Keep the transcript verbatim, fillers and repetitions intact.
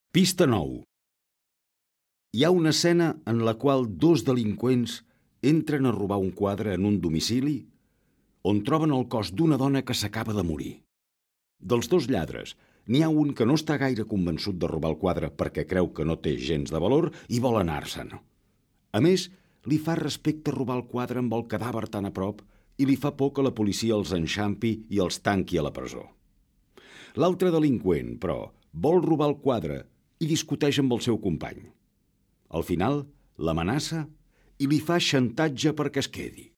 Pista nou. Hi ha una escena en la qual dos delinqüents entren a robar un quadre en un domicili on troben el cos d'una dona que s'acaba de morir. Dels dos lladres, n'hi ha un que no està gaire convençut de robar el quadre perquè creu que no té gens de valor i vol anar-se'n. A més, li fa respecte robar el quadre amb el cadàver tan a prop i li fa por que la policia els enxampi i els tanqui a la presó. L'altre delinqüent, però, vol robar el quadre i discuteix amb el seu company. Al final, l'amenaça i li fa xantatge perquè es quedi.